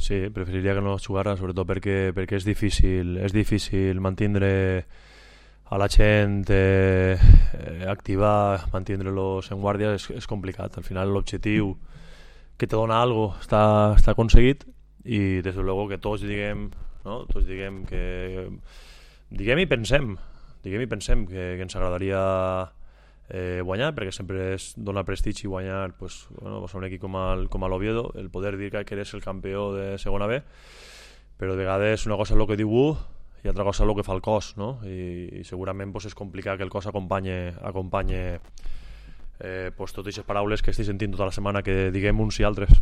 Sí, preferiria que no jugara, sobretot perquè és difícil mantenir a la gent activar, mantenir-los en guàrdia és complicat. Al final l'objectiu que te dona algo està aconseguit i des de luego que tots diguem, no? Tots diguem que diguem i pensem que ens agradaria guanyar, perquè sempre dona prestigi guanyar pues, a un equip com l'Oviedo, el poder dir que eres el campió de segona B, però de vegades una cosa és el que diu un i altra cosa és el que fa el cos, no? I segurament pues, és complicat que el cos acompanye pues, totes aquestes paraules que estic sentint tota la setmana que diguem uns i altres.